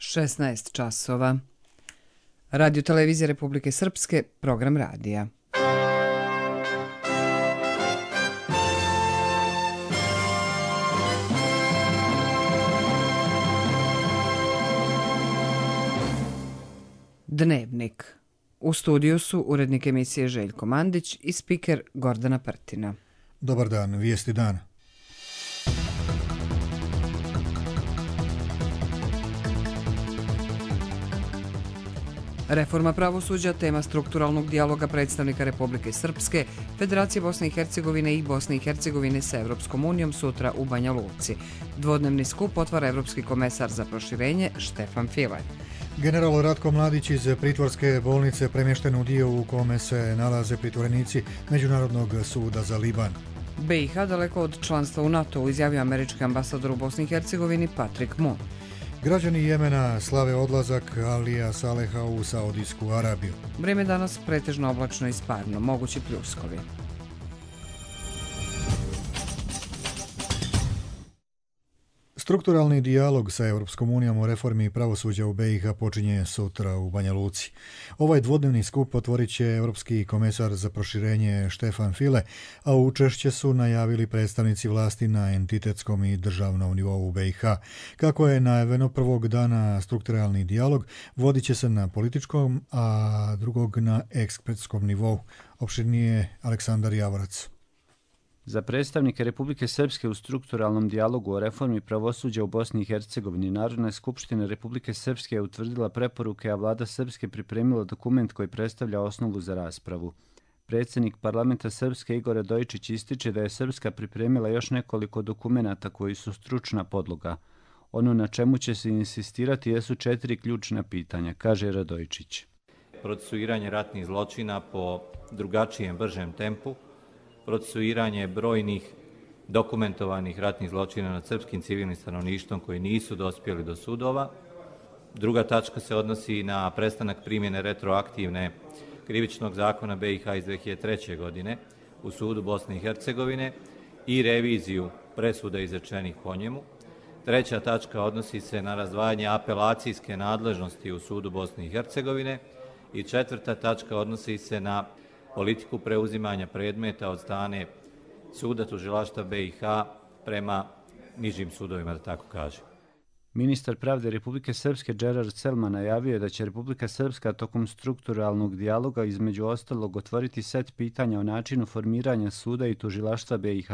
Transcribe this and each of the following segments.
16 časova. Radio televizije Republike Srpske, program radija. Dnevnik. U studiju su urednik emisije Željko Mandić i spiker Gordana Prtina. Dobar dan, vijesti dana. Reforma pravosuđa, tema strukturalnog dijaloga predstavnika Republike Srpske, Federacije Bosne i Hercegovine i Bosne i Hercegovine sa Evropskom unijom sutra u Banja Luci. Dvodnevni skup otvara Evropski komesar za proširenje Štefan File. General Ratko Mladić iz pritvorske bolnice premješten u dio u kome se nalaze pritvorenici Međunarodnog suda za Liban. BiH daleko od članstva u NATO-u, izjavio američki ambasador u Bosni i Hercegovini Patrick Moon. Građani Jemena slave odlazak Alija Saleha u Saudijsku Arabiju. Vrijeme danas pretežno oblačno i sparno, mogući pljuskovi. Strukturalni dijalog sa Europskom unijom o reformi pravosuđa u BiH počinje sutra u Banja Luci. Ovaj dvodnevni skup otvorit će Europski komesar za proširenje Štefan File, a učešće su najavili predstavnici vlasti na entitetskom i državnom nivou u BiH. Kako je najavljeno, prvog dana strukturalni dijalog vodit će se na političkom, a drugog na ekspertskom nivou. Opširnije Aleksandar Javorac. Za predstavnike Republike Srpske u strukturalnom dijalogu o reformi pravosuđa u Bosni i Hercegovini Narodna skupština Republike Srpske je utvrdila preporuke, a vlada Srpske pripremila dokument koji predstavlja osnovu za raspravu. Predsjednik parlamenta Srpske Igor Radojičić ističe da je Srpska pripremila još nekoliko dokumenata koji su stručna podloga. Ono na čemu će se insistirati jesu 4 ključna pitanja, kaže Radojičić. Procesuiranje ratnih zločina po drugačijem, bržem tempu, procesuiranje brojnih dokumentovanih ratnih zločina nad srpskim civilnim stanovništvom koji nisu dospjeli do sudova. Druga tačka se odnosi na prestanak primjene retroaktivne krivičnog zakona BiH iz 2003. godine u sudu Bosne i Hercegovine i reviziju presuda izrečenih po njemu. Treća tačka odnosi se na razdvajanje apelacijske nadležnosti u sudu Bosne i Hercegovine i četvrta tačka odnosi se na politiku preuzimanja predmeta od strane suda tužilaštva BiH prema nižim sudovima, da tako kažem. Ministar pravde Republike Srpske Gerard Selman najavio je da će Republika Srpska tokom strukturalnog dijaloga između ostalog otvoriti set pitanja o načinu formiranja suda i tužilaštva BiH,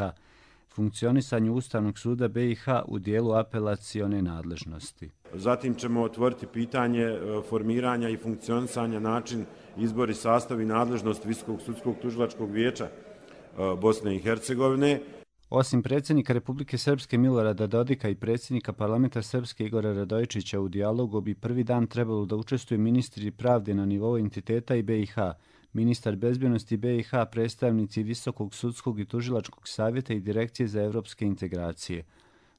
funkcionisanju Ustavnog suda BiH u dijelu apelacione nadležnosti. Zatim ćemo otvoriti pitanje formiranja i funkcionisanja, način, izbor i sastav i nadležnost Visokog sudskog tužilačkog vijeća Bosne i Hercegovine. Osim predsjednika Republike Srpske Milorada Dodika i predsjednika parlamenta Srpske Igora Radojičića u dijalogu bi prvi dan trebalo da učestvuju ministri pravde na nivou entiteta i BiH, ministar bezbjednosti BiH, predstavnici Visokog sudskog i tužilačkog savjeta i Direkcije za evropske integracije.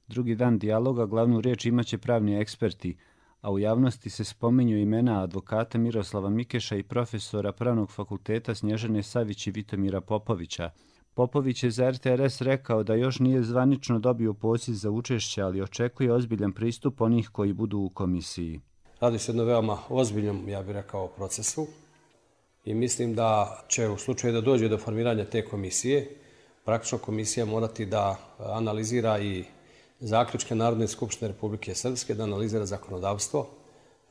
Drugi dan dijaloga glavnu riječ imaće pravni eksperti, a u javnosti se spominju imena advokata Miroslava Mikeša i profesora Pravnog fakulteta Snježane Savić i Vitomira Popovića. Popović je za RTRS rekao da još nije zvanično dobio poziv za učešće, ali očekuje ozbiljan pristup onih koji budu u komisiji. Radi se jedno veoma ozbiljnom, ja bih rekao, procesu i mislim da će u slučaju da dođe do formiranja te komisije, praktično komisija morati da analizira i zaključke Narodne skupštine Republike Srpske, da analizira zakonodavstvo,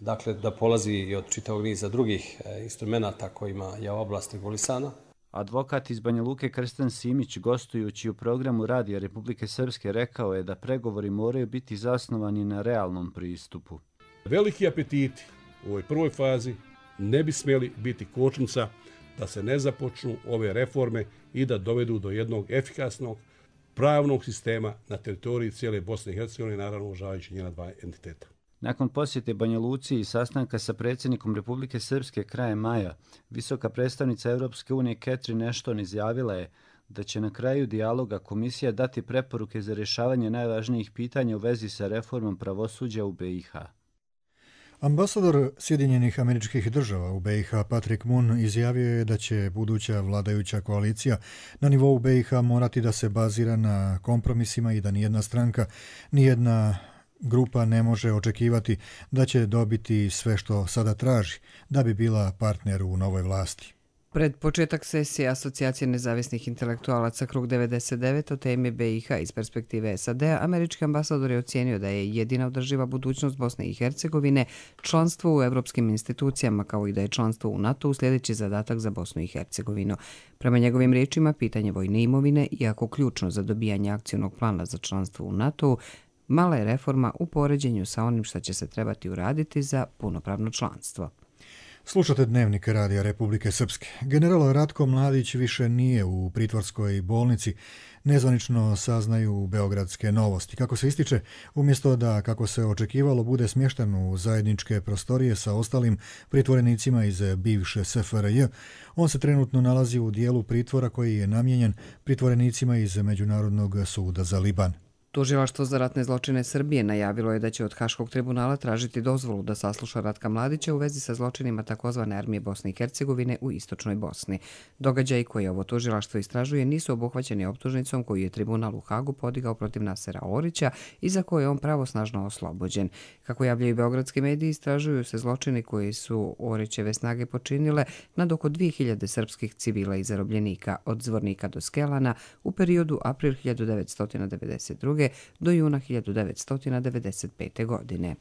dakle da polazi i od čitavog niza drugih instrumenta kojima je ova oblast regulisana. Advokat iz Banja Luke Krsten Simić, gostujući u programu Radija Republike Srpske, rekao je da pregovori moraju biti zasnovani na realnom pristupu. Veliki apetiti u ovoj prvoj fazi ne bi smjeli biti kočnica da se ne započnu ove reforme i da dovedu do jednog efikasnog pravnog sistema na teritoriji cijele Bosne i Hercegovine, naravno uvažavajući njena dva entiteta. Nakon posjete Banja Luci i sastanka sa predsjednikom Republike Srpske krajem maja, visoka predstavnica Europske unije Catherine Ashton izjavila je da će na kraju dijaloga komisija dati preporuke za rješavanje najvažnijih pitanja u vezi sa reformom pravosuđa u BiH. Ambasador Sjedinjenih Američkih Država u BiH Patrick Moon izjavio je da će buduća vladajuća koalicija na nivou BiH morati da se bazira na kompromisima i da nijedna stranka, nijedna grupa ne može očekivati da će dobiti sve što sada traži, da bi bila partner u novoj vlasti. Pred početak sesije Asocijacije nezavisnih intelektualaca Krug 99 o temi BiH iz perspektive SAD-a, američki ambasador je ocijenio da je jedina održiva budućnost Bosne i Hercegovine članstvo u evropskim institucijama, kao i da je članstvo u NATO sljedeći zadatak za Bosnu i Hercegovinu. Prema njegovim riječima, pitanje vojne imovine, iako ključno za dobijanje akcionog plana za članstvo u NATO, mala je reforma u poređenju sa onim što će se trebati uraditi za punopravno članstvo. Slušate Dnevnik Radija Republike Srpske. General Ratko Mladić više nije u pritvorskoj bolnici, nezvanično saznaju beogradske novosti. Kako se ističe, umjesto da, kako se očekivalo, bude smješten u zajedničke prostorije sa ostalim pritvorenicima iz bivše SFRJ, on se trenutno nalazi u dijelu pritvora koji je namijenjen pritvorenicima iz Međunarodnog suda za Liban. Tužilaštvo za ratne zločine Srbije najavilo je da će od Haškog tribunala tražiti dozvolu da sasluša Ratka Mladića u vezi sa zločinima takozvane armije Bosne i Hercegovine u istočnoj Bosni. Događaji koje ovo tužilaštvo istražuje nisu obuhvaćeni optužnicom koju je tribunal u Hagu podigao protiv Nasera Orića i za koje je on pravosnažno oslobođen. Kako javljaju beogradski mediji, istražuju se zločini koji su Orićeve snage počinile nad oko 2000 srpskih civila i zarobljenika od Zvornika do Skelana u periodu april 1992. do juna 1995. godine.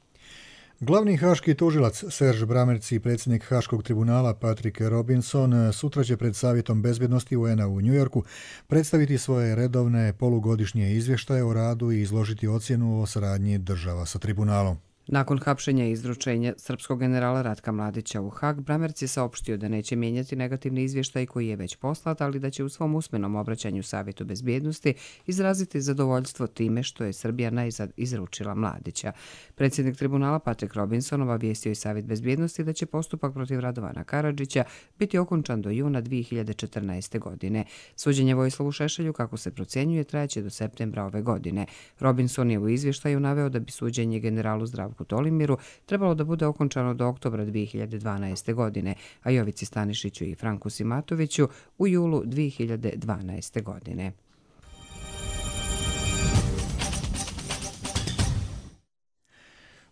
Glavni haški tužilac Serge Bramerc i predsjednik Haškog tribunala Patrick Robinson sutra će pred Savjetom bezbjednosti UN-a u Njujorku predstaviti svoje redovne polugodišnje izvještaje o radu i izložiti ocjenu o saradnji država sa tribunalom. Nakon hapšenja i izručenja srpskog generala Ratka Mladića u Hag, Bramerc je saopštio da neće mijenjati negativni izvještaj koji je već poslat, ali da će u svom usmenom obraćanju Savjetu bezbjednosti izraziti zadovoljstvo time što je Srbija najzad izručila Mladića. Predsjednik tribunala Patrick Robinson obavijestio i Savjet bezbjednosti da će postupak protiv Radovana Karadžića biti okončan do juna 2014. godine. Suđenje Vojislavu Šešelju, kako se procjenjuje, trajaće do septembra ove godine. Robinson je u izvještaju naveo da bi suđenje generalu Zdravku Tolimiru trebalo da bude okončano do oktobra 2012. godine, a Jovici Stanišiću i Franku Simatoviću u julu 2012. godine.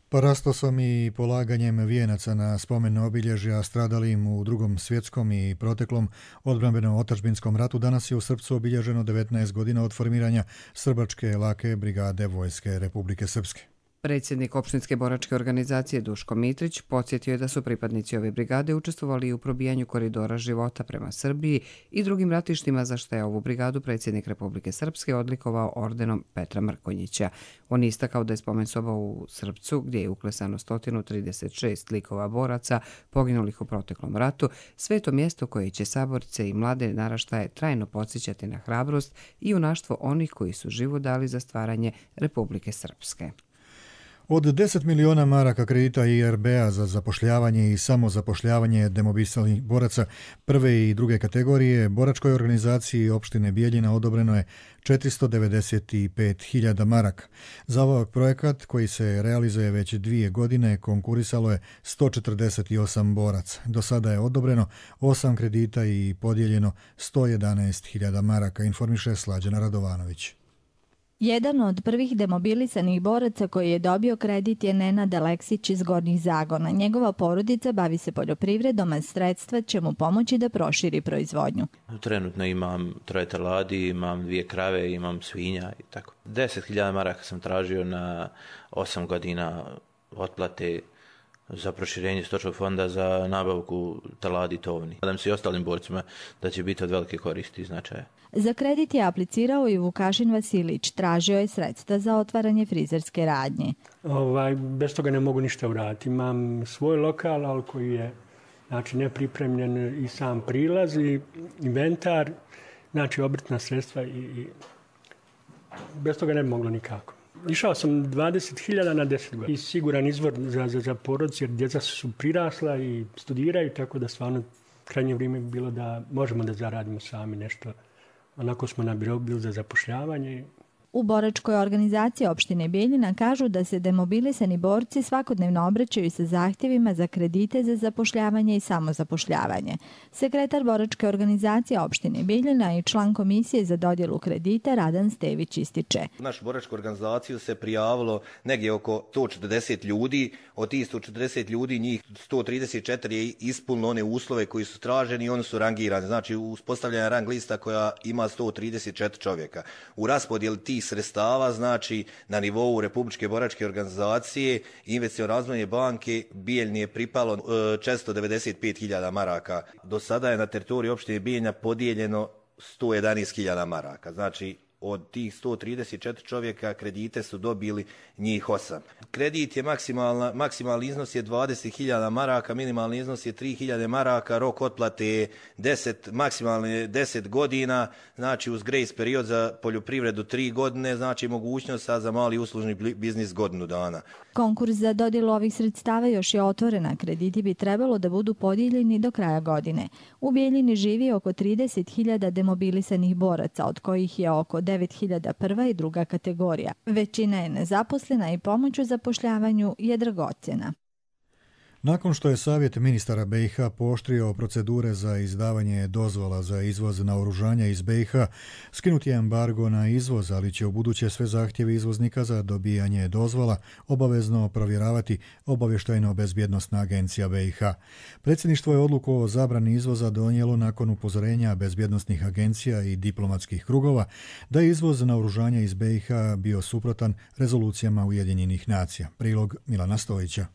Parastosom i polaganjem vijenaca na spomen obilježja stradalim u Drugom svjetskom i proteklom odbrambeno-otadžbinskom ratu danas je u Srpcu obilježeno 19 godina od formiranja Srbačke lake brigade Vojske Republike Srpske. Predsjednik opštinske boračke organizacije Duško Mitrić podsjetio je da su pripadnici ove brigade učestvovali u probijanju koridora života prema Srbiji i drugim ratištima, za što je ovu brigadu predsjednik Republike Srpske odlikovao ordenom Petra Mrkonjića. On je istakao da je spomen soba u Srpcu, gdje je uklesano 136 likova boraca poginulih u proteklom ratu, sveto mjesto koje će saborce i mlade naraštaje trajno podsjećati na hrabrost i junaštvo onih koji su život dali za stvaranje Republike Srpske. Od 10 miliona maraka kredita IRB-a za zapošljavanje i samozapošljavanje demobilisanih boraca prve i druge kategorije, boračkoj organizaciji opštine Bijeljina odobreno je 495.000 maraka. Za ovaj projekat, koji se realizuje već 2 godine, konkurisalo je 148 boraca. Do sada je odobreno 8 kredita i podijeljeno 111.000 maraka, informiše Slađana Radovanović. Jedan od prvih demobilisanih boraca koji je dobio kredit je Nenad Aleksić iz Gornjih Zagona. Njegova porodica bavi se poljoprivredom, a sredstva će mu pomoći da proširi proizvodnju. Trenutno imam 3 teladi, imam 2 krave, imam svinja i tako. 10.000 maraka sam tražio na 8 godina otplate za proširenje stočnog fonda za nabavku teladi i tovni. Nadam se i ostalim borcima da će biti od velike koristi i značaja. Za kredit je aplicirao i Vukašin Vasilić. Tražio je sredstva za otvaranje frizerske radnje. Bez toga ne mogu ništa uraditi. Imam svoj lokal, ali koji je nepripremljen i sam prilaz i inventar, obrtna sredstva i bez toga ne bi moglo nikako. Išao sam 20.000 na 10 godina i siguran izvor za porodicu jer djeca su prirasla i studiraju, tako da stvarno krajnje vrijeme bi bilo da možemo da zaradimo sami nešto. Onako smo na birou bili za zapošljavanje. U boračkoj organizaciji opštine Bijeljina kažu da se demobilisani borci svakodnevno obraćaju sa zahtjevima za kredite za zapošljavanje i samozapošljavanje. Sekretar boračke organizacije opštine Bijeljina i član komisije za dodjelu kredita Radan Stević ističe. U našu boračku organizaciju se prijavilo negdje oko 140 ljudi. Od tih 140 ljudi njih 134 je ispunilo one uslove koji su traženi i oni su rangirani. Znači uspostavljena rang lista koja ima 134 čovjeka. U raspodjeli tih sredstava, znači na nivou Republičke boračke organizacije i Investiciono-razvojne banke Bijeljni je pripalo 495.000 maraka. Do sada je na teritoriju opštine Bijeljina podijeljeno 111.000 maraka. Znači od tih 134 čovjeka kredite su dobili njih 8. Kredit je maksimalni iznos je 20.000 maraka, minimalni iznos je 3.000 maraka, rok otplate je maksimalno 10 godina, znači uz grace period za poljoprivredu 3 godine, znači mogućnost za mali uslužni biznis godinu dana. Konkurs za dodjelu ovih sredstava još je otvorena. Krediti bi trebalo da budu podijeljeni do kraja godine. U Bijeljini živi oko 30.000 demobilisanih boraca, od kojih je oko 9.000 prva i druga kategorija. Većina je nezaposlena i pomoć u zapošljavanju je dragocjena. Nakon što je Savjet ministara BiH pooštrio procedure za izdavanje dozvola za izvoz naoružanja iz BiH, skinut je embargo na izvoz, ali će ubuduće sve zahtjeve izvoznika za dobijanje dozvola obavezno provjeravati Obavještajno-bezbjednosna agencija BiH. Predsjedništvo je odluku o zabrani izvoza donijelo nakon upozorenja bezbjednosnih agencija i diplomatskih krugova da je izvoz naoružanja iz BiH bio suprotan rezolucijama Ujedinjenih nacija. Prilog Milana Stojića.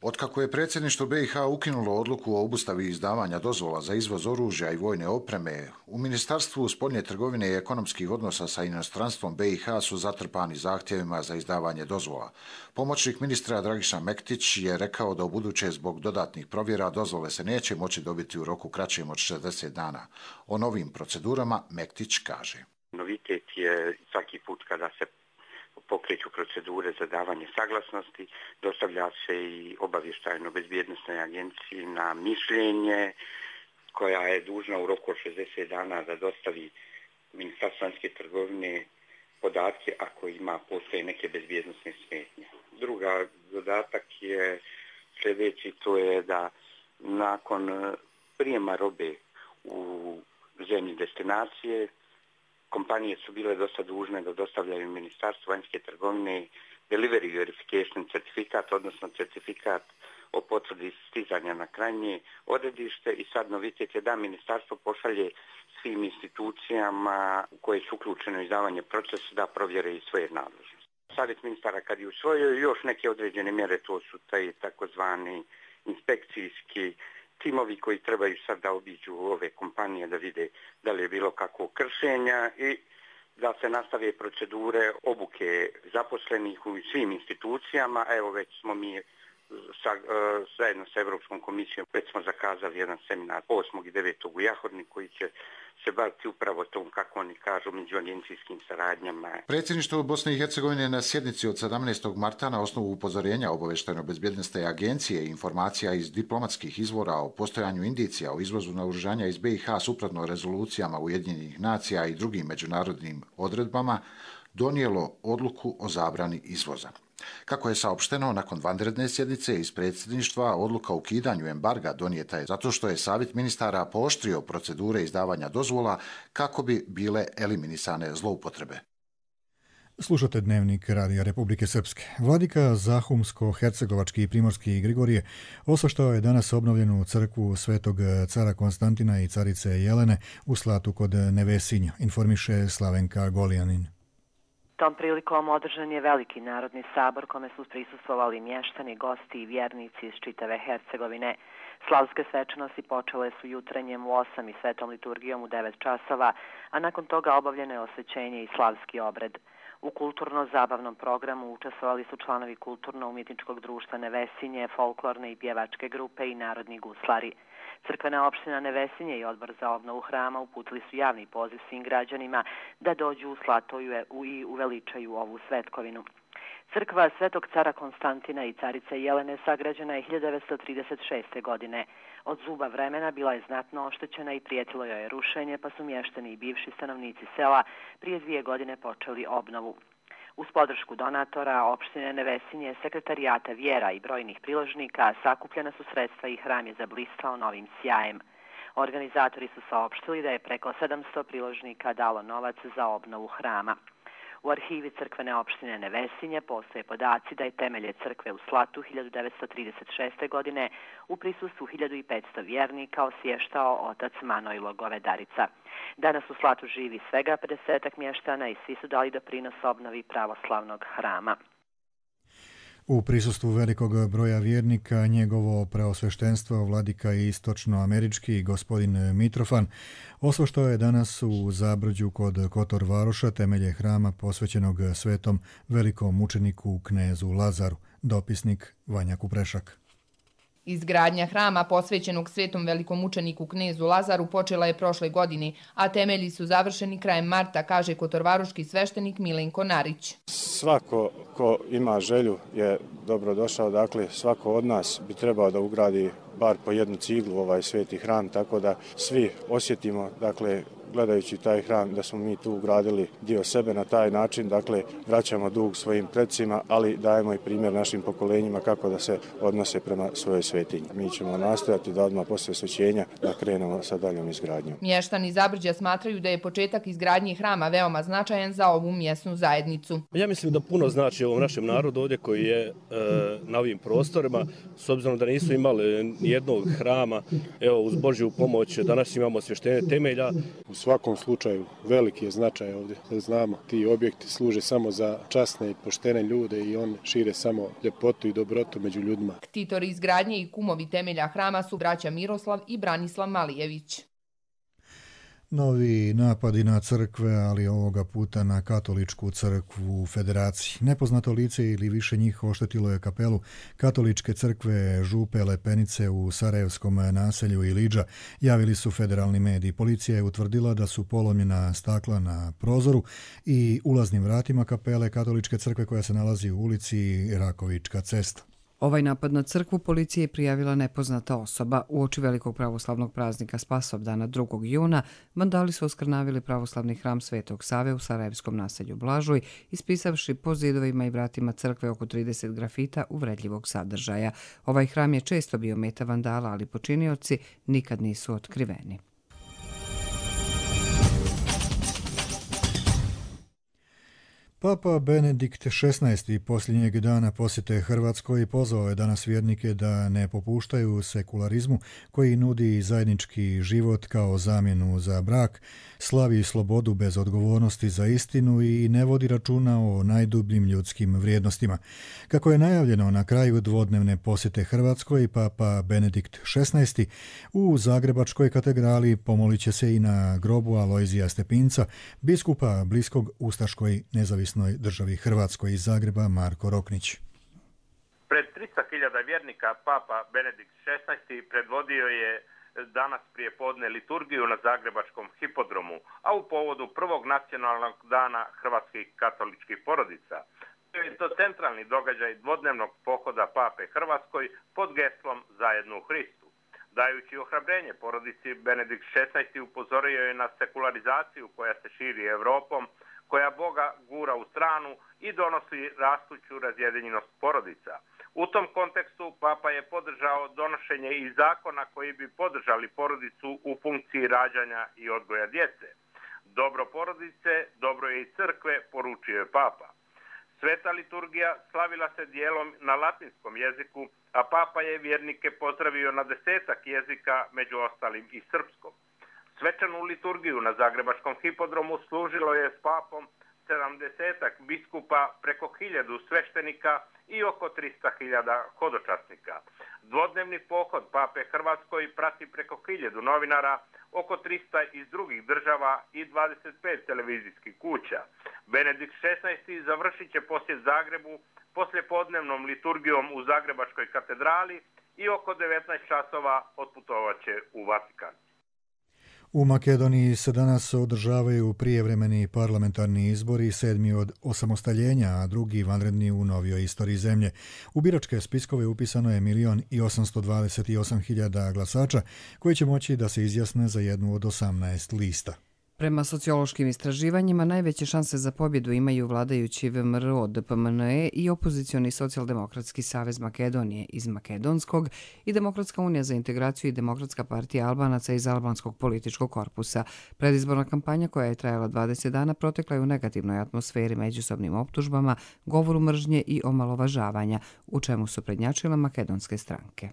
Otkako je predsjedništvo BiH ukinulo odluku o obustavi izdavanja dozvola za izvoz oružja i vojne opreme, u Ministarstvu spoljne trgovine i ekonomskih odnosa sa inostranstvom BiH su zatrpani zahtjevima za izdavanje dozvola. Pomoćnik ministra Dragiša Mektić je rekao da ubuduće zbog dodatnih provjera dozvole se neće moći dobiti u roku kraćem od 60 dana. O novim procedurama Mektić kaže. Novitet je svaki put kada se pokreću procedure za davanje saglasnosti, dostavlja se i Obavještajno-bezbjednosnoj agenciji na mišljenje, koja je dužna u roku od 60 dana da dostavi Ministarstvu vanjske trgovine podatke ako postoje neke bezbjednosne smetnje. Druga dodatak je sljedeći, to je da nakon prijema robe u zemlji destinacije, kompanije su bile dosta dužne da dostavljaju Ministarstvu vanjske trgovine delivery verification certifikat, odnosno certifikat o potvrdi stizanja na krajnje odredište i sad novitet je da ministarstvo pošalje svim institucijama koje su uključene u izdavanje procesa da provjere i svoje nadležnosti. Savjet ministara kad je usvojio još neke određene mjere, to su taj takozvani inspekcijski timovi koji trebaju sad da obiđu ove kompanije da vide da li je bilo kakvog kršenja i da se nastave procedure obuke zaposlenih u svim institucijama. Evo već smo mi zajedno sa Europskom komisijom već smo zakazali jedan seminar 8. i 9. u Jahorni koji će se baviti upravo tom, kako oni kažu, međuagencijskim saradnjama. Predsjedništvo Bosne i Hercegovine na sjednici od 17. marta na osnovu upozorenja Obavještajno-bezbjednosne agencije i informacija iz diplomatskih izvora o postojanju indicija o izvozu naoružanja iz BiH suprotno rezolucijama Ujedinjenih nacija i drugim međunarodnim odredbama donijelo odluku o zabrani izvoza. Kako je saopšteno, nakon vanredne sjednice iz predsjedništva, odluka o ukidanju embarga donijeta je zato što je Savjet ministara pooštrio procedure izdavanja dozvola kako bi bile eliminisane zloupotrebe. Slušate Dnevnik Radija Republike Srpske. Vladika Zahumsko-hercegovački i primorski Grigorije osvaštao je danas obnovljenu crkvu Svetog cara Konstantina i carice Jelene u Slatu kod Nevesinja, informiše Slavenka Golijanin. Tom prilikom održan je veliki narodni sabor kome su prisustvovali mještani, gosti i vjernici iz čitave Hercegovine. Slavske svečanosti počele su jutrenjem u 8 i svetom liturgijom u 9 časova, a nakon toga obavljeno je osvećenje i slavski obred. U kulturno-zabavnom programu učestvovali su članovi kulturno-umjetničkog društva Nevesinje, folklorne i pjevačke grupe i narodni guslari. Crkvena opština Nevesinje i odbor za obnovu hrama uputili su javni poziv svim građanima da dođu u Slatoju i uveličaju ovu svetkovinu. Crkva Svetog cara Konstantina i carice Jelene sagrađena je 1936. godine. Od zuba vremena bila je znatno oštećena i prijetilo joj je rušenje, pa su mještani i bivši stanovnici sela prije 2 godine počeli obnovu. Uz podršku donatora, opštine Nevesinje, sekretarijata vjera i brojnih priložnika sakupljena su sredstva i hram je zablistao novim sjajem. Organizatori su saopštili da je preko 700 priložnika dalo novac za obnovu hrama. U arhivi crkvene opštine Nevesinje postoje podaci da je temelje crkve u Slatu 1936. godine u prisustvu 1500 vjernika osvještao otac Manojlo Govedarica. Danas u Slatu živi svega 50 mještana i svi su dali doprinos obnovi pravoslavnog hrama. U prisustvu velikog broja vjernika, njegovo preosveštenstvo vladika istočnoamerički gospodin Mitrofan osveštao je danas u Zabrđu kod Kotor Varoša temelje hrama posvećenog svetom velikom mučeniku knezu Lazaru. Dopisnik Vanja Kuprešak. Izgradnja hrama posvećenog svetom velikom mučeniku knezu Lazaru počela je prošle godine, a temelji su završeni krajem marta, kaže kotorvaroški sveštenik Milenko Narić. Svako ko ima želju je dobrodošao, dakle svako od nas bi trebao da ugradi bar po jednu ciglu ovaj sveti hram, tako da svi osjetimo, dakle, gledajući taj hram, da smo mi tu ugradili dio sebe na taj način, dakle, vraćamo dug svojim predsima, ali dajemo i primjer našim pokolenjima kako da se odnose prema svojoj svetinji. Mi ćemo nastojati da odmah posle osvećenja da krenemo sa daljom izgradnjom. Mještani Zabrđa smatraju da je početak izgradnje hrama veoma značajan za ovu mjesnu zajednicu. Ja mislim da puno znači ovom našem narodu ovdje koji je na ovim prostorima, s obzirom da nisu imali nijednog hrama, evo uz Božju pomoć danas imamo osvještenje temelja. U svakom slučaju veliki je značaj ovdje. Znamo, ti objekti služe samo za časne i poštene ljude i on šire samo ljepotu i dobrotu među ljudima. Ktitori izgradnje i kumovi temelja hrama su braća Miroslav i Branislav Malijević. Novi napadi na crkve, ali ovoga puta na katoličku crkvu u Federaciji. Nepoznato lice ili više njih oštetilo je kapelu katoličke crkve Župe Lepenice u sarajevskom naselju Ilidža, javili su federalni mediji. Policija je utvrdila da su polomljena stakla na prozoru i ulaznim vratima kapele katoličke crkve koja se nalazi u ulici Rakovička cesta. Ovaj napad na crkvu policija je prijavila nepoznata osoba. Uoči velikog pravoslavnog praznika Spasovdana 2. juna vandali su oskrnavili pravoslavni hram Svetog Save u sarajevskom naselju Blažuj, ispisavši po zidovima i vratima crkve oko 30 grafita uvredljivog sadržaja. Ovaj hram je često bio meta vandala, ali počinioci nikad nisu otkriveni. Papa Benedikt XVI. Posljednjeg dana posjete Hrvatskoj pozvao je danas vjernike da ne popuštaju sekularizmu koji nudi zajednički život kao zamjenu za brak, slavi slobodu bez odgovornosti za istinu i ne vodi računa o najdubljim ljudskim vrijednostima. Kako je najavljeno na kraju dvodnevne posjete Hrvatskoj, Papa Benedikt XVI. U Zagrebačkoj katedrali pomolit će se i na grobu Alojzija Stepinca, biskupa bliskog ustaškoj nezavisnoj državi Hrvatskoj. Iz Zagreba Marko Roknić. Pred 300.000 vjernika Papa Benedikt XVI. Predvodio je danas prije podne liturgiju na Zagrebačkom hipodromu, a u povodu prvog nacionalnog dana hrvatskih katoličkih porodica. To je to centralni događaj dvodnevnog pohoda Pape Hrvatskoj pod geslom Zajedno u Hristu. Dajući ohrabrenje porodici, Benedikt XVI. Upozorio je na sekularizaciju koja se širi Europom, koja Boga gura u stranu i donosi rastuću razjedinjenost porodica. U tom kontekstu Papa je podržao donošenje i zakona koji bi podržali porodicu u funkciji rađanja i odgoja djece. Dobro porodice, dobro je i crkve, poručio je Papa. Sveta liturgija slavila se dijelom na latinskom jeziku, a Papa je vjernike pozdravio na 10-ak jezika, među ostalim i srpskom. Svečanu liturgiju na Zagrebačkom hipodromu služilo je s Papom 70-ak biskupa, preko 1000 sveštenika i oko 300.000 hodočasnika. Dvodnevni pohod Pape Hrvatskoj prati preko 1000 novinara, oko 300 iz drugih država i 25 televizijskih kuća. Benedikt XVI. Završit će posjet Zagrebu poslijepodnevnom liturgijom u Zagrebačkoj katedrali i oko 19 časova otputovat će u Vatikan. U Makedoniji se danas održavaju prijevremeni parlamentarni izbori, 7. od osamostaljenja, a drugi vanredni u novijoj istoriji zemlje. U biračke spiskove upisano je 1.828.000 glasača koji će moći da se izjasne za jednu od 18 lista. Prema sociološkim istraživanjima, najveće šanse za pobjedu imaju vladajući VMRO, DPMNE i opozicioni Socijaldemokratski savez Makedonije iz Makedonskog i Demokratska unija za integraciju i Demokratska partija Albanaca iz Albanskog političkog korpusa. Predizborna kampanja koja je trajala 20 dana protekla je u negativnoj atmosferi, međusobnim optužbama, govoru mržnje i omalovažavanja, u čemu su prednjačile makedonske stranke.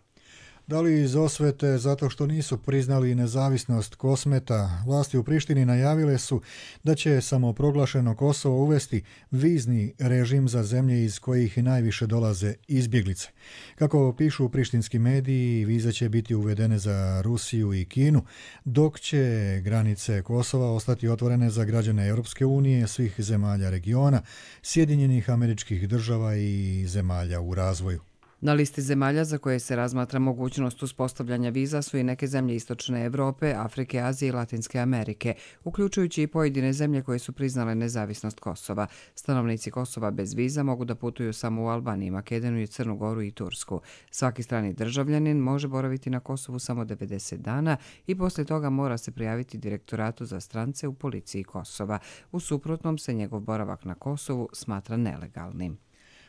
Da li iz osvete zato što nisu priznali nezavisnost Kosmeta, vlasti u Prištini najavile su da će samoproglašeno Kosovo uvesti vizni režim za zemlje iz kojih najviše dolaze izbjeglice. Kako pišu prištinski mediji, vize će biti uvedene za Rusiju i Kinu, dok će granice Kosova ostati otvorene za građane Europske unije, svih zemalja regiona, Sjedinjenih Američkih Država i zemalja u razvoju. Na listi zemalja za koje se razmatra mogućnost uspostavljanja viza su i neke zemlje Istočne Evrope, Afrike, Azije i Latinske Amerike, uključujući i pojedine zemlje koje su priznale nezavisnost Kosova. Stanovnici Kosova bez viza mogu da putuju samo u Albaniju, Makedoniju, Crnu Goru i Tursku. Svaki strani državljanin može boraviti na Kosovu samo 90 dana i poslije toga mora se prijaviti Direktoratu za strance u policiji Kosova. U suprotnom se njegov boravak na Kosovu smatra nelegalnim.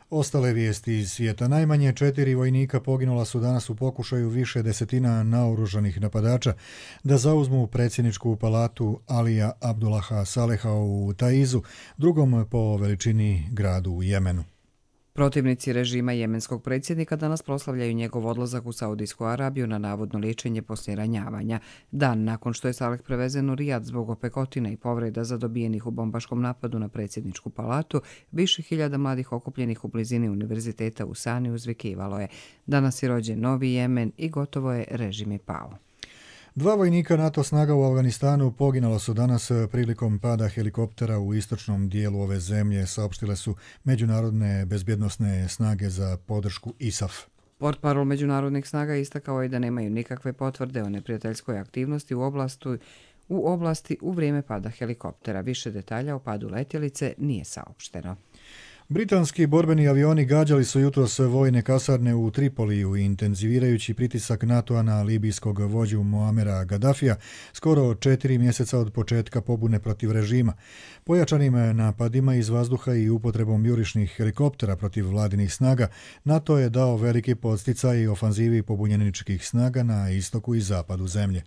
Ostale vijesti iz svijeta. Najmanje 4 vojnika poginula su danas u pokušaju više desetina naoružanih napadača da zauzmu predsjedničku palatu Alija Abdullaha Saleha u Taizu, drugom po veličini gradu u Jemenu. Protivnici režima jemenskog predsjednika danas proslavljaju njegov odlazak u Saudijsku Arabiju na navodno liječenje poslije ranjavanja. Dan nakon što je Saleh prevezen u Rijad zbog opekotine i povreda zadobijenih u bombaškom napadu na predsjedničku palatu, više hiljada mladih okupljenih u blizini univerziteta u Sani uzvikivalo je: danas je rođen novi Jemen i gotovo je, režim je pao. 2 vojnika NATO snaga u Afganistanu poginula su danas prilikom pada helikoptera u istočnom dijelu ove zemlje, saopštile su međunarodne bezbjednosne snage za podršku ISAF. Portparol međunarodnih snaga istakao je da nemaju nikakve potvrde o neprijateljskoj aktivnosti u oblasti u vrijeme pada helikoptera. Više detalja o padu letjelice nije saopšteno. Britanski borbeni avioni gađali su jutros vojne kasarne u Tripoliju, intenzivirajući pritisak NATO-a na libijskog vođu Muamera Gaddafija skoro 4 mjeseca od početka pobune protiv režima. Pojačanim napadima iz vazduha i upotrebom jurišnih helikoptera protiv vladinih snaga, NATO je dao veliki podsticaj ofanzivi pobunjeničkih snaga na istoku i zapadu zemlje.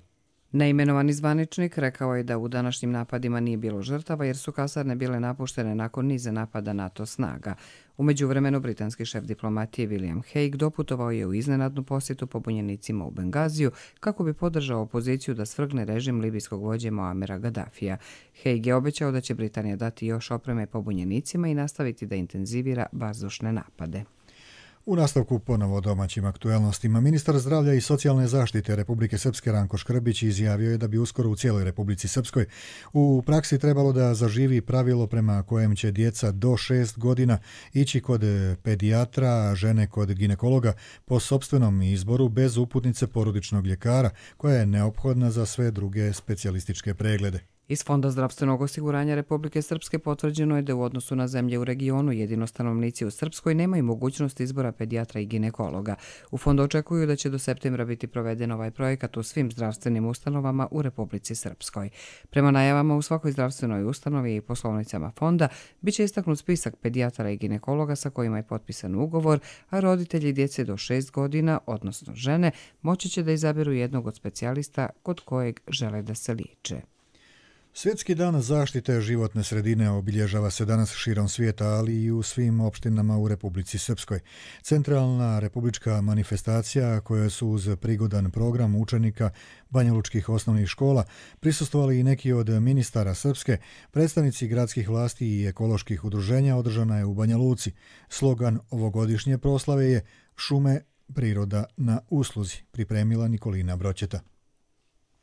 Neimenovani zvaničnik rekao je da u današnjim napadima nije bilo žrtava jer su kasarne bile napuštene nakon niza napada NATO snaga. U međuvremenu britanski šef diplomatije William Hague doputovao je u iznenadnu posjetu pobunjenicima u Bengaziju kako bi podržao opoziciju da svrgne režim libijskog vođe Muamera Gaddafija. Hague je obećao da će Britanija dati još opreme pobunjenicima i nastaviti da intenzivira vazdušne napade. U nastavku ponovo domaćim aktuelnostima. Ministar zdravlja i socijalne zaštite Republike Srpske Ranko Škrbić izjavio je da bi uskoro u cijeloj Republici Srpskoj u praksi trebalo da zaživi pravilo prema kojem će djeca do 6 godina ići kod pedijatra, a žene kod ginekologa po sopstvenom izboru bez uputnice porodičnog ljekara koja je neophodna za sve druge specijalističke preglede. Iz Fonda zdravstvenog osiguranja Republike Srpske potvrđeno je da u odnosu na zemlje u regionu jedino stanovnici u Srpskoj nemaju mogućnost izbora pedijatra i ginekologa. U fondu očekuju da će do septembra biti proveden ovaj projekat u svim zdravstvenim ustanovama u Republici Srpskoj. Prema najavama u svakoj zdravstvenoj ustanovi i poslovnicama fonda biće istaknut spisak pedijatara i ginekologa sa kojima je potpisan ugovor, a roditelji djece do 6 godina, odnosno žene, moći će da izaberu jednog od specijalista kod kojeg žele da se liječe. Svjetski dan zaštite životne sredine obilježava se danas širom svijeta, ali i u svim opštinama u Republici Srpskoj. Centralna republička manifestacija kojoj su uz prigodan program učenika banjalučkih osnovnih škola prisustvovali i neki od ministara Srpske, predstavnici gradskih vlasti i ekoloških udruženja, održana je u Banja Luci. Slogan ovogodišnje proslave je "Šume, priroda na usluzi", pripremila Nikolina Broćeta.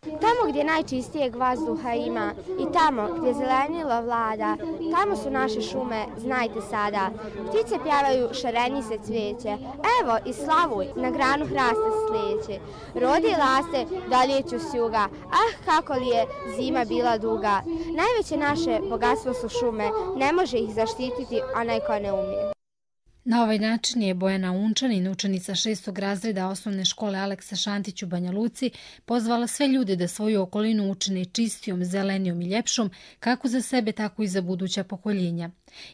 Tamo Tamo gdje najčistijeg vazduha ima i tamo gdje zelenilo vlada, tamo su naše šume, znajte sada. Ptice pjevaju, šarenice cvijeće, evo i slavuj, na granu hrasta slijeće. Rodi laste, doljeću s juga, kako li je zima bila duga. Najveće naše bogatstvo su šume, ne može ih zaštititi onaj ko ne umije. Na ovaj način je Bojana Unčanin, učenica 6. razreda osnovne škole Aleksa Šantić u Banja Luci, pozvala sve ljude da svoju okolinu učine čistijom, zelenijom i ljepšom, kako za sebe, tako i za buduća pokoljenja.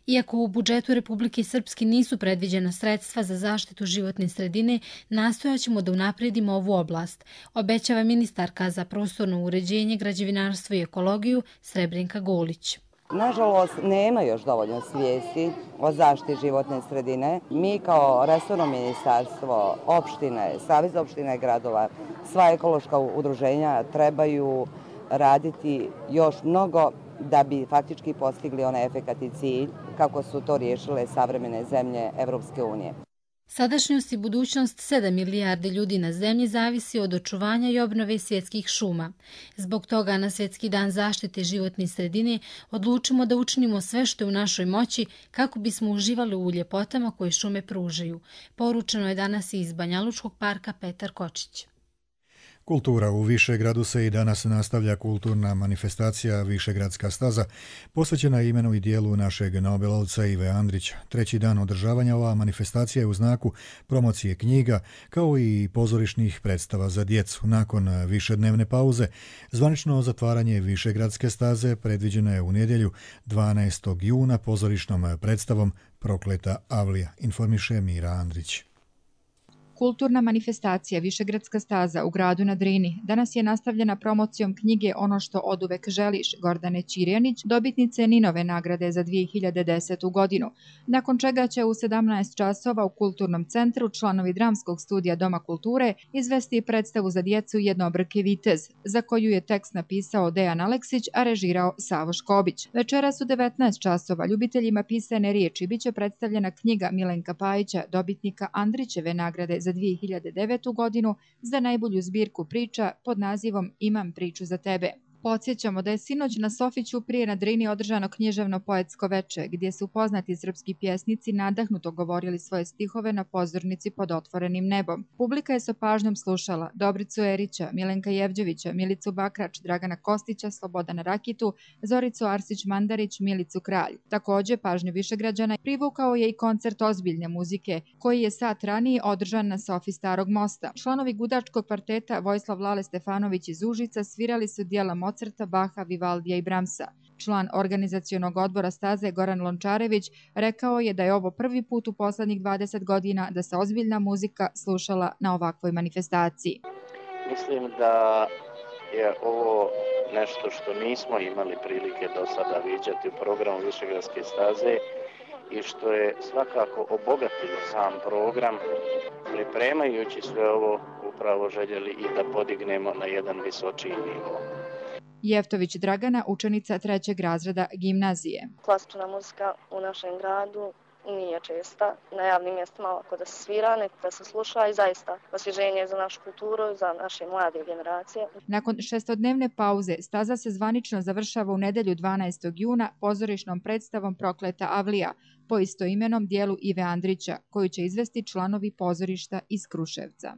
Iako u budžetu Republike Srpske nisu predviđena sredstva za zaštitu životne sredine, nastojaćemo da unapredimo ovu oblast, obećava ministarka za prostorno uređenje, građevinarstvo i ekologiju Srebrenka Golić. Nažalost, nema još dovoljno svijesti o zaštiti životne sredine. Mi kao resorno ministarstvo, opštine, Savez opština i gradova, sva ekološka udruženja trebaju raditi još mnogo da bi faktički postigli onaj efekat i cilj kako su to riješile savremene zemlje Evropske unije. Sadašnjost i budućnost 7 milijardi ljudi na zemlji zavisi od očuvanja i obnove svjetskih šuma. Zbog toga na Svjetski dan zaštite životne sredine odlučimo da učinimo sve što je u našoj moći kako bismo uživali u ljepotama koje šume pružaju. Poručeno je danas iz Banjalučkog parka Petar Kočić. Kultura u Višegradu se i danas nastavlja kulturna manifestacija Višegradska staza, posvećena imenu i dijelu našeg nobelovca Ive Andrića. Treći dan održavanja ova manifestacija je u znaku promocije knjiga, kao i pozorišnih predstava za djecu. Nakon višednevne pauze, zvanično zatvaranje Višegradske staze predviđeno je u nedjelju 12. juna pozorišnom predstavom Prokleta Avlija, informiše Mira Andrić. Kulturna manifestacija Višegradska staza u gradu na Drini danas je nastavljena promocijom knjige Ono što oduvek želiš Gordane Ćirjanić, dobitnice Ninove nagrade za 2010. godinu, nakon čega će u 17 časova u Kulturnom centru članovi dramskog studija Doma kulture izvesti predstavu za djecu Jednobrki vitez, za koju je tekst napisao Dejan Aleksić, a režirao Savo Škobić. Večeras u 19 časova ljubiteljima pisane riječi biće predstavljena knjiga Milenka Pajića, dobitnika Andrićeve nagrade za 2009. godinu za najbolju zbirku priča pod nazivom Imam priču za tebe. Podsjećamo da je sinoć na Sofiću prije na Drini održano književno-poetsko veče, gdje su poznati srpski pjesnici nadahnuto govorili svoje stihove na pozornici pod otvorenim nebom. Publika je sa pažnjom slušala Dobricu Erića, Milenka Jevđevića, Milicu Bakrač, Dragana Kostića, Slobodana Rakitu, Zoricu Arsić-Mandarić, Milicu Kralj. Također, pažnju Višegrađana privukao je i koncert ozbiljne muzike, koji je sat ranije održan na Sofi Starog mosta. Članovi gudačkog kvarteta Vojislav Lale Stefanović iz Užica svirali su dijela Mozarta, Baha, Vivaldija i Bramsa. Član organizacionog odbora staze Goran Lončarević rekao je da je ovo prvi put u poslednjih 20 godina da se ozbiljna muzika slušala na ovakvoj manifestaciji. Mislim da je ovo nešto što nismo imali prilike do sada viđati u programu Višegradske staze i što je svakako obogatilo sam program, pripremajući sve ovo upravo željeli i da podignemo na jedan visočiji nivo. Jeftović Dragana, učenica 3. razreda gimnazije. Klasična muzika u našem gradu nije česta. Na javnim mjestima ovako da se svira, nek da se sluša i zaista osvježenje za našu kulturu, za naše mlade generacije. Nakon 6-dnevne pauze, staza se zvanično završava u nedjelju 12. juna pozorišnom predstavom Prokleta Avlija po istoimenom dijelu Ive Andrića, koju će izvesti članovi pozorišta iz Kruševca.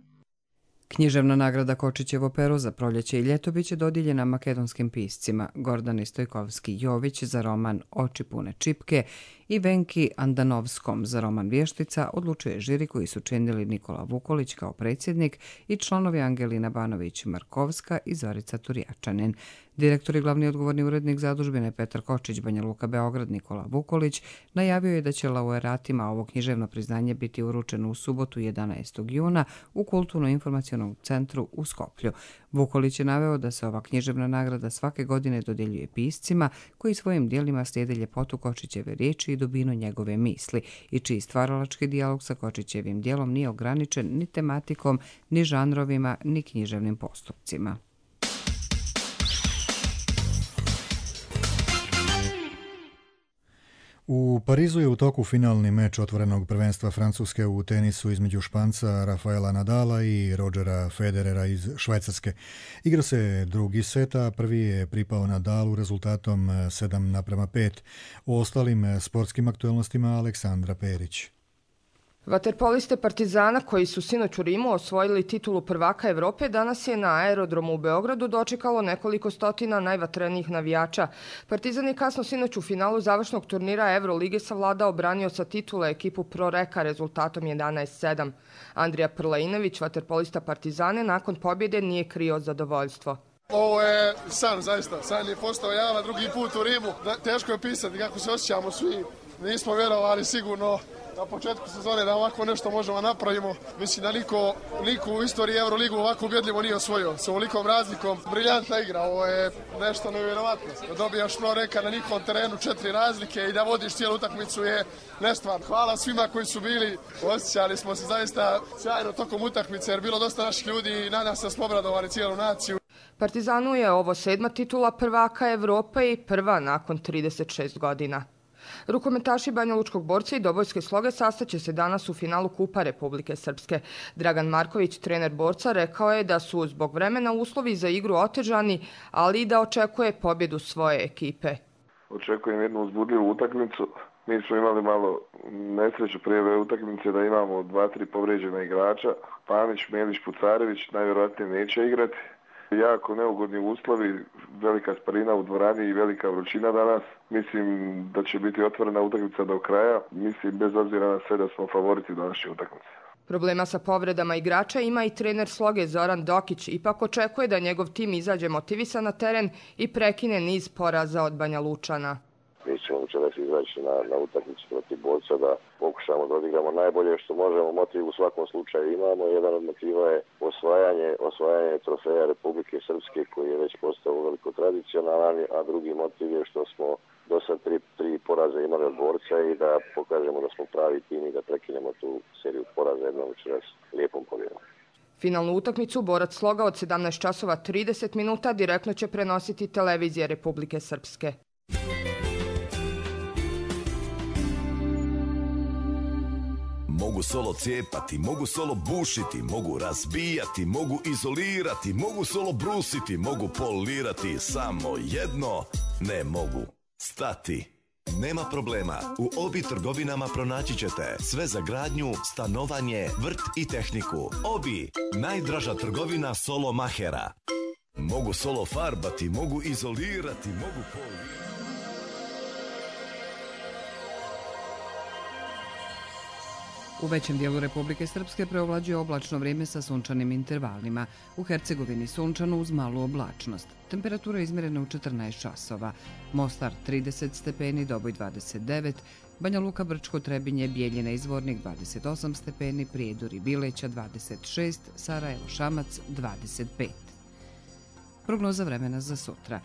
Književna nagrada Kočićevo pero za proljeće i ljeto biće dodijeljena makedonskim piscima Gordani Stojkovski-Jović za roman Oči pune čipke i Venki Andanovskom za roman Vještica, odlučuje žiri koji su činili Nikola Vukolić kao predsjednik i članovi Angelina Banović-Markovska i Zorica Turjačanin. Direktor i glavni odgovorni urednik zadužbine Petar Kočić, Banja Luka, Beograd, Nikola Vukolić, najavio je da će laureatima ovo književno priznanje biti uručeno u subotu 11. juna u Kulturno-informacionom centru u Skoplju. Vukolić je naveo da se ova književna nagrada svake godine dodjeljuje piscima koji svojim dijelima slijede ljepotu Kočićeve riječi i dubinu njegove misli i čiji stvaralački dijalog sa Kočićevim dijelom nije ograničen ni tematikom, ni žanrovima, ni književnim postupcima. U Parizu je u toku finalni meč otvorenog prvenstva Francuske u tenisu između Španca Rafaela Nadala i Rodgera Federera iz Švajcarske. Igra se drugi set, a prvi je pripao Nadalu rezultatom 7:5. O ostalim sportskim aktualnostima Aleksandra Perić. Vaterpoliste Partizana, koji su sinoć u Rimu osvojili titulu prvaka Evrope, danas je na aerodromu u Beogradu dočekalo nekoliko stotina najvatrenijih navijača. Partizan je kasno sinoć u finalu završnog turnira Evrolige savladao branioca titule ekipu Pro Reka rezultatom 11:7. Andrija Prlejnović, vaterpolista Partizane, nakon pobjede nije krio zadovoljstvo. Ovo je san, zaista. San je postao javan drugi put u Rimu. Teško je pisati kako se osjećamo svi. Nismo vjerovali sigurno na početku sezone da ovako nešto možemo napravimo. Mislim da niko u istoriji Euroligu ovako ubjedljivo nije osvojio. S ovolikom razlikom, briljantna igra, ovo je nešto nevjerovatno. Da dobijaš Pro Reka na njihovom terenu 4 razlike i da vodiš cijelu utakmicu je nestvarno. Hvala svima koji su bili, osjećali smo se zaista sjajno tokom utakmice jer bilo dosta naših ljudi i nadam se da smo obradovali cijelu naciju. Partizanu je ovo 7. titula prvaka Evrope i prva nakon 36 godina. Rukometaši Banjalučkog Borca i Dobojske Sloge sastaće se danas u finalu Kupa Republike Srpske. Dragan Marković, trener Borca, rekao je da su zbog vremena uslovi za igru otežani, ali i da očekuje pobjedu svoje ekipe. Očekujem jednu uzbudljivu utakmicu. Mi smo imali malo nesreću prije ove utakmice da imamo 2-3 povrijeđena igrača. Panić, Melić, Pucarević najvjerojatnije neće igrati. Jako neugodni uslovi, velika sparina u dvorani i velika vrućina danas. Mislim da će biti otvorena utakmica do kraja. Mislim bez obzira na sve da smo favoriti današnje utakmice. Problema sa povredama igrača ima i trener Sloge Zoran Dokić. Ipak očekuje da njegov tim izađe motivisan na teren i prekine niz poraza od Banja Lučana. Mi ćemo večeras izaći na utakmicu protiv Borca da pokušamo da odigramo najbolje što možemo. Motiv u svakom slučaju imamo. Jedan od motiva je osvajanje trofeja Republike Srpske koji je već postao veliko tradicionalan, a drugi motiv je što smo do sad tri poraze imali od Borca i da pokažemo da smo pravi tim i da prekinemo tu seriju poraza jednom večeras lijepom pobjedom. Finalnu utakmicu Borac Sloga od 17:30 direktno će prenositi televizija Republike Srpske. Mogu solo cijepati, mogu solo bušiti, mogu razbijati, mogu izolirati, mogu solo brusiti, mogu polirati, samo jedno ne mogu stati. Nema problema, u Obi trgovinama pronaći ćete sve za gradnju, stanovanje, vrt i tehniku. Obi, najdraža trgovina solo mahera. Mogu solo farbati, mogu izolirati, mogu polirati. U većem dijelu Republike Srpske preovlađuje oblačno vrijeme sa sunčanim intervalima. U Hercegovini sunčano uz malu oblačnost. Temperatura je izmjerena u 14 časova. Mostar 30 stepeni, Doboj 29, Banja Luka, Brčko, Trebinje, Bijeljina, Izvornik 28 stepeni, Prijedor i Bileća 26, Sarajevo, Šamac 25. Prognoza vremena za sutra.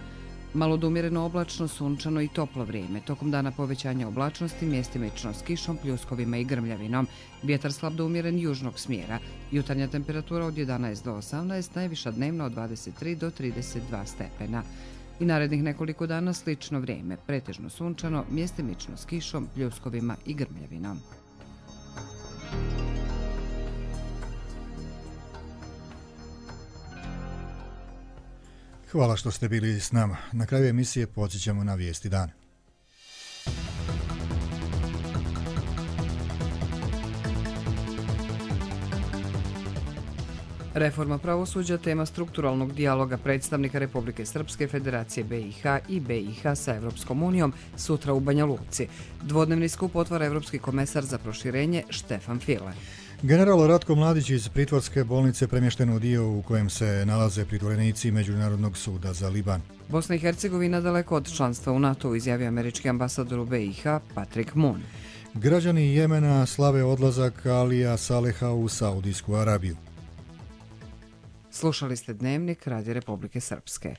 Malo do umjereno oblačno, sunčano i toplo vrijeme. Tokom dana povećanja oblačnosti, mjestimično s kišom, pljuskovima i grmljavinom. Vjetar slab do umjeren južnog smjera. Jutarnja temperatura od 11 do 18, najviša dnevna od 23 do 32 stepena. I narednih nekoliko dana slično vrijeme, pretežno sunčano, mjestimično s kišom, pljuskovima i grmljavinom. Hvala što ste bili s nama. Na kraju emisije podsjećamo na vijesti dana. Reforma pravosuđa, tema strukturalnog dijaloga predstavnika Republike Srpske, Federacije BiH i BiH sa Evropskom unijom sutra u Banja Luci. Dvodnevni skup otvara Evropski komesar za proširenje Štefan File. General Ratko Mladić iz pritvorske bolnice premješten u dio u kojem se nalaze pritvorenici Međunarodnog suda za Liban. Bosna i Hercegovina daleko od članstva u NATO, izjavio američki ambasador u BiH Patrick Moon. Građani Jemena slave odlazak Alija Saleha u Saudijsku Arabiju. Slušali ste Dnevnik Radio Republike Srpske.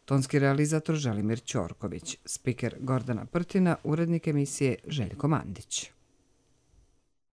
Tonski realizator Želimir Ćorković, spiker Gordana Prtina, urednik emisije Željko Mandić.